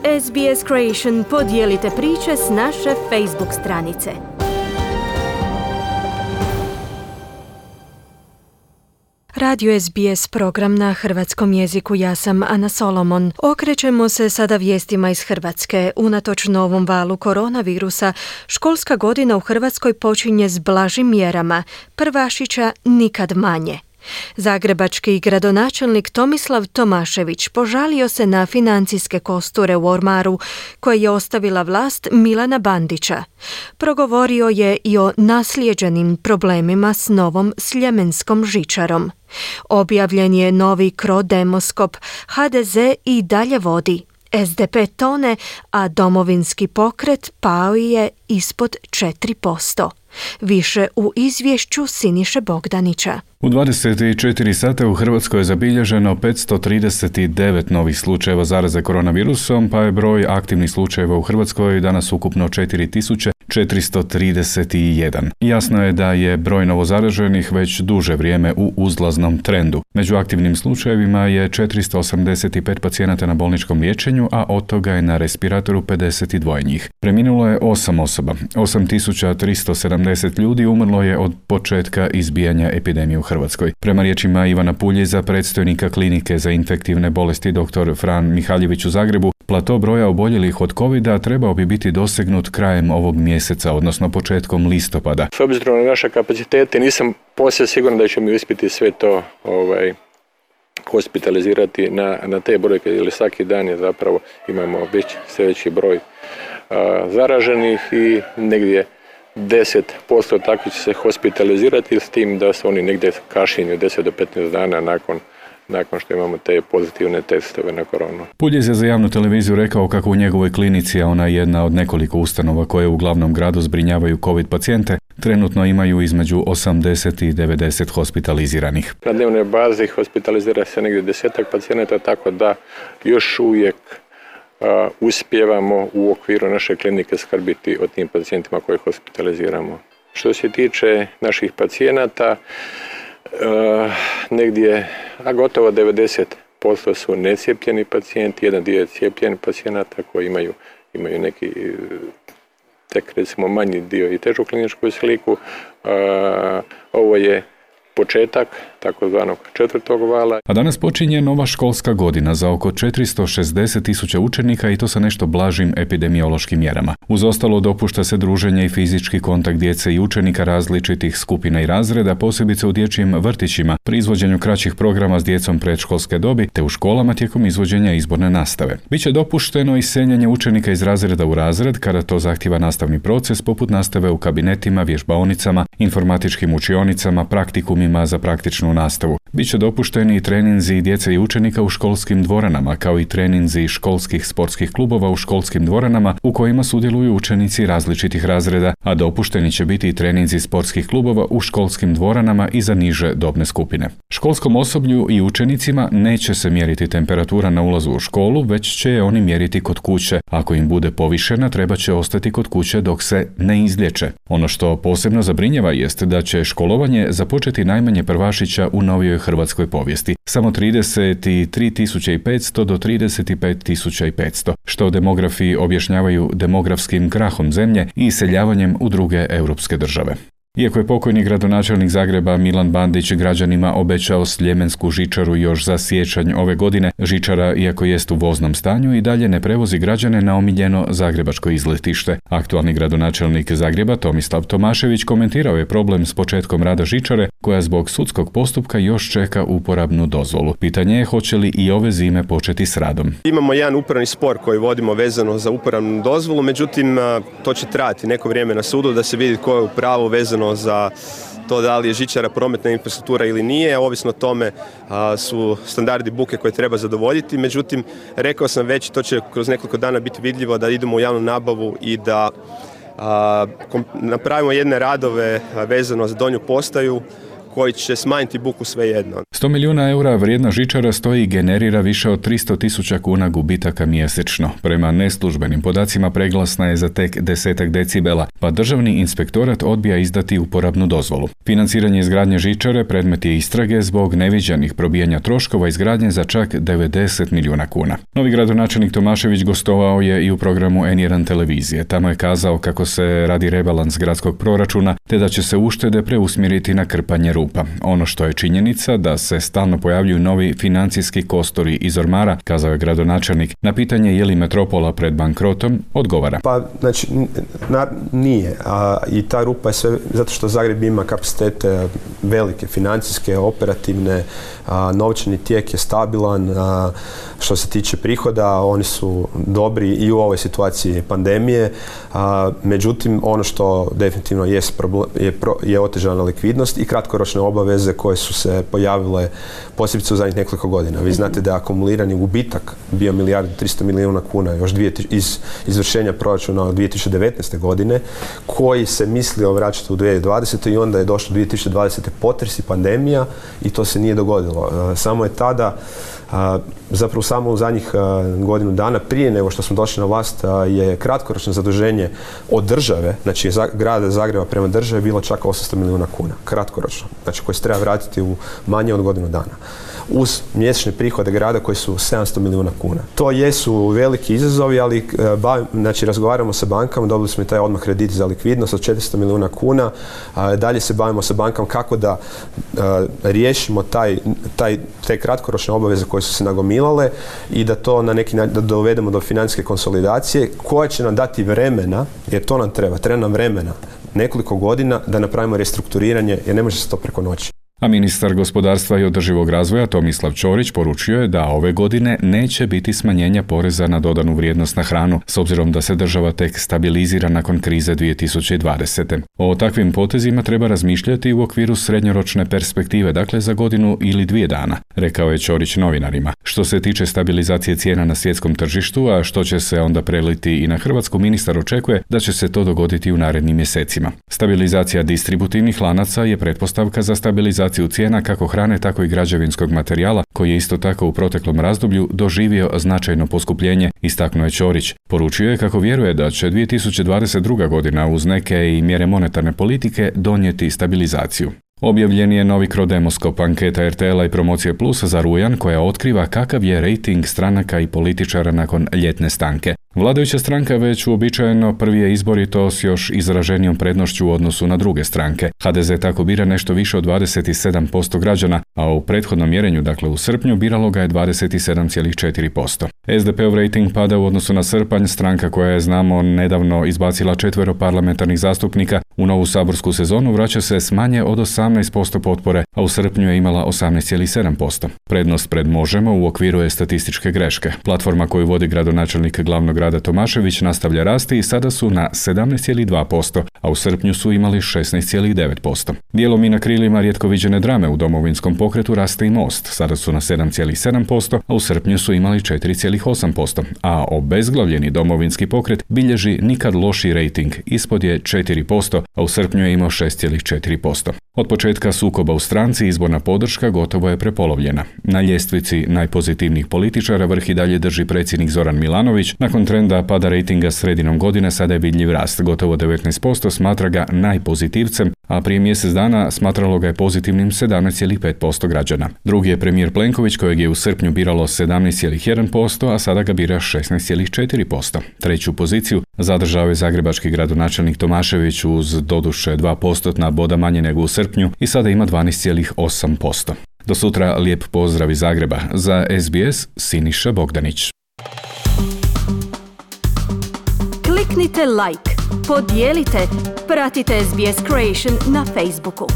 SBS Creation podijelite priče s naše Facebook stranice. Radio SBS program na hrvatskom jeziku, ja sam Ana Solomon. Okrećemo se sada vijestima iz Hrvatske. Unatoč novom valu koronavirusa, školska godina u Hrvatskoj počinje s blažim mjerama, prvašića nikad manje. Zagrebački gradonačelnik Tomislav Tomašević požalio se na financijske kosture u ormaru koje je ostavila vlast Milana Bandića. Progovorio je i o naslijeđenim problemima s novom sljemenskom žičarom. Objavljen je novi CRO-demoskop, HDZ i dalje vodi. SDP tone, a Domovinski pokret pao je ispod 4%. Više u izvješću Siniše Bogdanića. U 24 sata u Hrvatskoj je zabilježeno 539 novih slučajeva zaraze koronavirusom, pa je broj aktivnih slučajeva u Hrvatskoj danas ukupno 4431. Jasno je da je broj novozaraženih već duže vrijeme u uzlaznom trendu. Među aktivnim slučajevima je 485 pacijenata na bolničkom liječenju, a od toga je na respiratoru 52 njih. Preminulo je 8 osoba. 8370 ljudi umrlo je od početka izbijanja epidemije u Hrvatskoj. Prema riječima Ivana Puljiza, predstojnika klinike za infektivne bolesti dr. Fran Mihaljević u Zagrebu, plato broja oboljelih od covida trebao bi biti dosegnut krajem ovog mjeseca, odnosno početkom listopada. S obzirom na naše kapacitete nisam posve siguran da ćemo uspjeti sve to hospitalizirati na te brojke, jer svaki dan je zapravo imamo sve veći broj zaraženih i negdje 10% takvi će se hospitalizirati, s tim da su oni negdje kašnjeni 10 do 15 dana nakon što imamo te pozitivne testove na koronu. Puljiz je za javnu televiziju rekao kako u njegovoj klinici, a ona je jedna od nekoliko ustanova koje u glavnom gradu zbrinjavaju COVID pacijente, trenutno imaju između 80 i 90 hospitaliziranih. Na dnevnoj bazi hospitalizira se negdje 10 pacijenata, tako da još uvijek uspijevamo u okviru naše klinike skrbiti o tim pacijentima koje hospitaliziramo. Što se tiče naših pacijenata, negdje gotovo 90% su necijepljeni pacijenti, jedan dio je cijepljeni pacijenata koji imaju neki tek recimo manji dio i težu kliničku sliku. Ovo je početak takozvanog 4. vala. A danas počinje nova školska godina za oko 460.000 učenika i to sa nešto blažim epidemiološkim mjerama. Uz ostalo dopušta se druženje i fizički kontakt djece i učenika različitih skupina i razreda, posebice u dječjim vrtićima, pri izvođenju kraćih programa s djecom predškolske dobi, te u školama tijekom izvođenja izborne nastave. Biće dopušteno i seljenje učenika iz razreda u razred kada to zahtijeva nastavni proces, poput nastave u kabinetima, vježbaonicama, informatičkim učionicama, praktikumima za praktičnu nastavu. Biće dopušteni i treninzi djece i učenika u školskim dvoranama, kao i treninzi školskih sportskih klubova u školskim dvoranama u kojima sudjeluju učenici različitih razreda, a dopušteni će biti i treninzi sportskih klubova u školskim dvoranama i za niže dobne skupine. Školskom osoblju i učenicima neće se mjeriti temperatura na ulazu u školu, već će je oni mjeriti kod kuće. Ako im bude povišena, treba će ostati kod kuće dok se ne izliječe. Ono što posebno zabrinjava jest da će školovanje započeti najmanje prvašića u novijoj hrvatskoj povijesti. Samo 33.500 do 35.500, što demografi objašnjavaju demografskim krahom zemlje i iseljavanjem u druge europske države. Iako je pokojni gradonačelnik Zagreba Milan Bandić građanima obećao sljemensku žičaru još za siječanj ove godine, žičara, iako jest u voznom stanju, i dalje ne prevozi građane na omiljeno zagrebačko izletište. Aktualni gradonačelnik Zagreba Tomislav Tomašević komentirao je problem s početkom rada žičare, koja zbog sudskog postupka još čeka uporabnu dozvolu. Pitanje je hoće li i ove zime početi s radom. Imamo jedan upravni spor koji vodimo vezano za uporabnu dozvolu, međutim to će trajati neko vrijeme na sudu da se vidi ko je u pravu vezano za to da li je žičara prometna infrastruktura ili nije. Ovisno o tome su standardi buke koje treba zadovoljiti. Međutim, rekao sam već, to će kroz nekoliko dana biti vidljivo da idemo u javnu nabavu i da napravimo jedne radove vezano za donju postaju koji će smanjiti buku svejedno. 100 milijuna eura vrijedna žičara stoji i generira više od 300.000 kuna gubitaka mjesečno. Prema neslužbenim podacima preglasna je za tek 10 decibela, pa državni inspektorat odbija izdati uporabnu dozvolu. Financiranje izgradnje žičare predmet je istrage zbog neviđenih probijanja troškova izgradnje za čak 90 milijuna kuna. Novi gradonačelnik Tomašević gostovao je i u programu N1 televizije. Tamo je kazao kako se radi rebalans gradskog proračuna, te da će se uštede preusmjeriti na krpanje rupa. Ono što je činjenica da se stalno pojavljuju novi financijski kostori iz ormara, kazao je gradonačelnik. Na pitanje je li metropola pred bankrotom, odgovara. Pa, znači, nije. I ta rupa je sve zato što Zagreb ima kapacitete velike, financijske, operativne, novčani tijek je stabilan, što se tiče prihoda, oni su dobri i u ovoj situaciji pandemije. Međutim, ono što definitivno je otežana likvidnost i kratkoročne obaveze koje su se pojavile posebice u zadnjih nekoliko godina. Vi znate da je akumulirani gubitak bio 1.300 milijuna kuna još iz izvršenja proračuna od 2019. godine, koji se mislio vraćati u 2020. i onda je došlo 2020. potres i pandemija i to se nije dogodilo. Samo je tada, zapravo samo u zadnjih godinu dana prije nego što smo došli na vlast, je kratkoročno zaduženje od države, znači grada Zagreba prema državi, bilo čak 800 milijuna kuna. Kratkoročno. Znači koji se treba vratiti u manje od godinu dana. Uz mjesečne prihode grada koji su 700 milijuna kuna. To jesu veliki izazovi, ali znači, razgovaramo sa bankama, dobili smo i taj odmah kredit za likvidnost od 400 milijuna kuna. Dalje se bavimo sa bankama kako da riješimo te kratkoročne obaveze koje su se nagomilale i da to na neki način dovedemo do financijske konsolidacije koja će nam dati vremena, jer to nam treba nam vremena, nekoliko godina da napravimo restrukturiranje, jer ne može se to preko noći. A ministar gospodarstva i održivog razvoja Tomislav Ćorić poručio je da ove godine neće biti smanjenja poreza na dodanu vrijednost na hranu, s obzirom da se država tek stabilizira nakon krize 2020. O takvim potezima treba razmišljati u okviru srednjoročne perspektive, dakle za godinu ili 2 dana, rekao je Ćorić novinarima. Što se tiče stabilizacije cijena na svjetskom tržištu, a što će se onda preliti i na Hrvatsku, ministar očekuje da će se to dogoditi u narednim mjesecima. Stabilizacija distributivnih lanaca je pretpostavka za stabilizaciju cijena kako hrane, tako i građevinskog materijala, koji je isto tako u proteklom razdoblju doživio značajno poskupljenje, istaknuo je Ćorić. Poručio je kako vjeruje da će 2022. godina uz neke i mjere monetarne politike donijeti stabilizaciju. Objavljen je novi Crodemoskop, anketa RTL-a i Promocije Plus za rujan koja otkriva kakav je rejting stranaka i političara nakon ljetne stanke. Vladajuća stranka već uobičajeno prvi je izbor i to s još izraženijom prednošću u odnosu na druge stranke. HDZ tako bira nešto više od 27% građana, a u prethodnom mjerenju, dakle u srpnju, biralo ga je 27,4%. SDP-ov rejting pada u odnosu na srpanj, stranka koja je, znamo, nedavno izbacila 4 parlamentarnih zastupnika. U novu saborsku sezonu vraća se s manje od 18% potpore, a u srpnju je imala 18,7%. Prednost pred Možemo u okviru je statističke greške. Platforma koju vodi gradonačelnik glavnog grada Tomašević nastavlja rasti i sada su na 17,2%, a u srpnju su imali 16,9%. Dijelom i na krilima rijetko viđene drame u Domovinskom pokretu raste i Most. Sada su na 7,7%, a u srpnju su imali 4,8%, a obezglavljeni Domovinski pokret bilježi nikad loši rejting, ispod je 4%, a u srpnju je imao 6,4%. Od početka sukoba u stranci izborna podrška gotovo je prepolovljena. Na ljestvici najpozitivnijih političara vrh i dalje drži predsjednik Zoran Milanović. Nakon trenda pada rejtinga sredinom godine sada je vidljiv rast. Gotovo 19% smatra ga najpozitivcem, a prije mjesec dana smatralo ga je pozitivnim 17,5% građana. Drugi je premijer Plenković kojeg je u srpnju biralo 17,1%, a sada ga bira 16,4%. Treću poziciju zadržao je zagrebački gradonačelnik Tomašević uz doduše 2% boda manje nego u srpnju i sada ima 12,8%. Do sutra lijep pozdrav iz Zagreba. Za SBS Siniša Bogdanić. Kliknite like, podijelite, pratite SBS Creation na Facebooku.